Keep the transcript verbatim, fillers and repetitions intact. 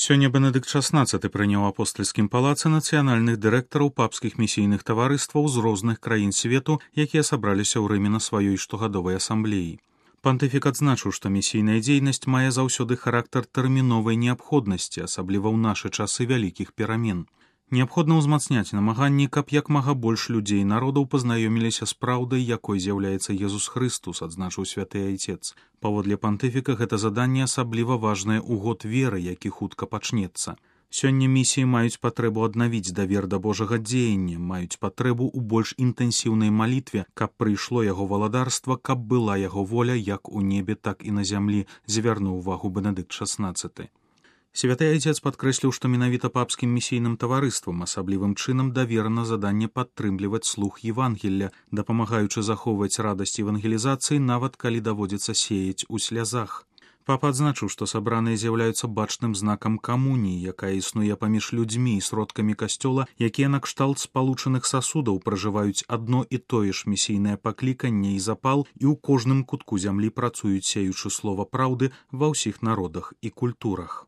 Сёння Бенедыкт шаснаццаты прыняў у апостальскім палацы нацыянальных дырэктараў папскіх місійных таварыстваў з розных краін свету, якія сабраліся ў Рыме на сваёй штогадовай асамблеі. Пантыфік адзначыў, што місійная дзейнасць мае заўсёды характар тэрміновай неабходнасці, асабліва ў нашы часы вялікіх перамен. Неабходна ўзмацняць намаганні, каб як мага больш людзей і народаў пазнаёміліся з праўдай, якой з'яўляецца Езус Хрыстус, адзначыў святы айцец. Паводле пантыфіка гэта заданне асабліва важнае ў год веры, які хутка пачнецца. Сёння місіі маюць патрэбу аднавіць давер да Божага дзеяння, маюць патрэбу ў больш інтэнсіўнай малітве, каб прыйшло яго валадарства, каб была яго воля як у небе, так і на зямлі, звярнуў увагу Бенедыкт шаснаццаты. Святы айцец падкрэсліў, што менавіта папскім місійным таварыствам асаблівым чынам даверана заданне падтрымліваць слух Евангелля, дапамагаючы захоўваць радасць евангелізацыі, нават калі даводзіцца сеяць у слязах. Папа адзначыў, што сабраныя з'яўляюцца бачным знакам камуніі, якая існуе паміж людзьмі і сродкамі касцёла, якія накшталт спалучаных сасудаў пражываюць адно і тое ж місійнае пакліканне і запал і ў кожным кутку зямлі працуюць, сеючы слова праўды ва ўсіх народах і культурах.